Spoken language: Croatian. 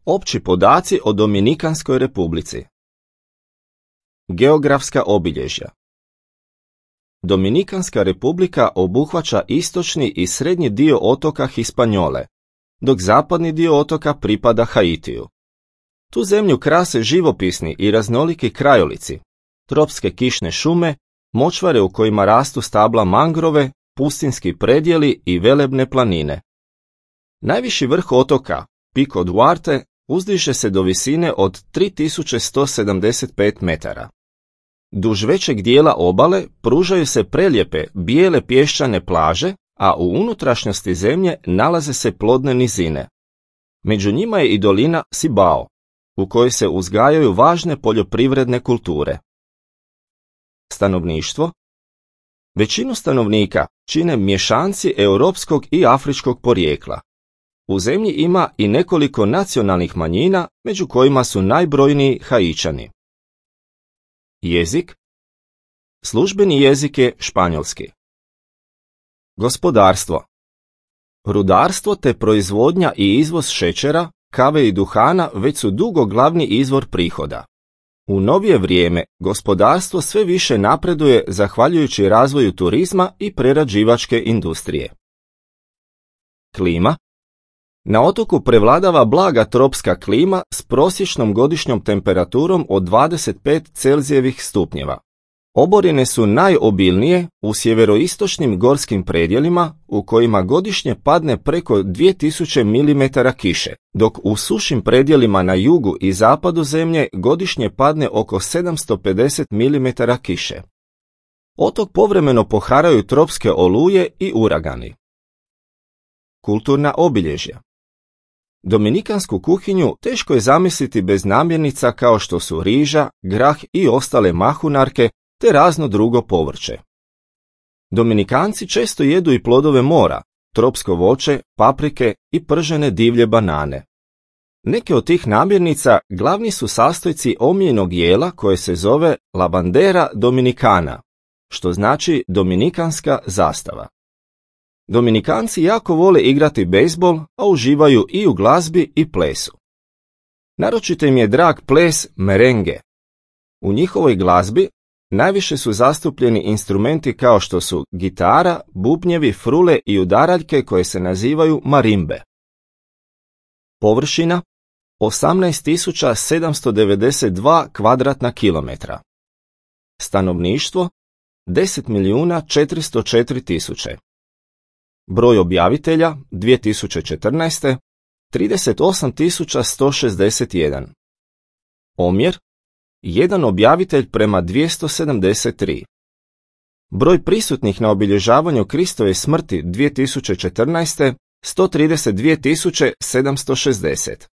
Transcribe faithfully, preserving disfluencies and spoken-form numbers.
Opći podaci o Dominikanskoj republici. Geografska obilježja. Dominikanska republika obuhvaća istočni i srednji dio otoka Hispanjole, dok zapadni dio otoka pripada Haitiju. Tu zemlju krase živopisni i raznoliki krajolici, tropske kišne šume, močvare u kojima rastu stabla mangrove, pustinski predjeli i velebne planine. Najviši vrh otoka, Pico Duarte, uzdiže se do visine od tri tisuće sto sedamdeset pet metara. Duž većeg dijela obale pružaju se prelijepe bijele pješčane plaže, a u unutrašnjosti zemlje nalaze se plodne nizine. Među njima je i dolina Cibao, u kojoj se uzgajaju važne poljoprivredne kulture. Stanovništvo. Većinu stanovnika čine mješanci europskog i afričkog porijekla. U zemlji ima i nekoliko nacionalnih manjina, među kojima su najbrojniji Haičani. Jezik. Službeni jezik je španjolski. Gospodarstvo. Rudarstvo te proizvodnja i izvoz šećera, kave i duhana već su dugo glavni izvor prihoda. U novije vrijeme gospodarstvo sve više napreduje zahvaljujući razvoju turizma i prerađivačke industrije. Klima. Na otoku prevladava blaga tropska klima s prosječnom godišnjom temperaturom od dvadeset pet Celzijevih stupnjeva. Oborine su najobilnije u sjeveroistočnim gorskim predjelima u kojima godišnje padne preko dvije tisuće milimetara kiše, dok u sušim predjelima na jugu i zapadu zemlje godišnje padne oko sedamsto pedeset milimetara kiše. Otok povremeno poharaju tropske oluje i uragani. Kulturna obilježja. Dominikansku kuhinju teško je zamisliti bez namirnica kao što su riža, grah i ostale mahunarke te razno drugo povrće. Dominikanci često jedu i plodove mora, tropsko voće, paprike i pržene divlje banane. Neke od tih namirnica glavni su sastojci omiljenog jela koje se zove La bandera dominicana, što znači dominikanska zastava. Dominikanci jako vole igrati bejzbol, a uživaju i u glazbi i plesu. Naročito im je drag ples merenge. U njihovoj glazbi najviše su zastupljeni instrumenti kao što su gitara, bubnjevi, frule i udaraljke koje se nazivaju marimbe. Površina osamnaest tisuća sedamsto devedeset dva kvadratna kilometra. Stanovništvo deset milijuna četiristo četiri tisuće. Broj objavitelja dvije tisuće četrnaeste. trideset osam tisuća sto šezdeset jedan. Omjer jedan objavitelj prema dvjesto sedamdeset tri. Broj prisutnih na obilježavanju Kristove smrti dvije tisuće četrnaeste. sto trideset dvije tisuće sedamsto šezdeset.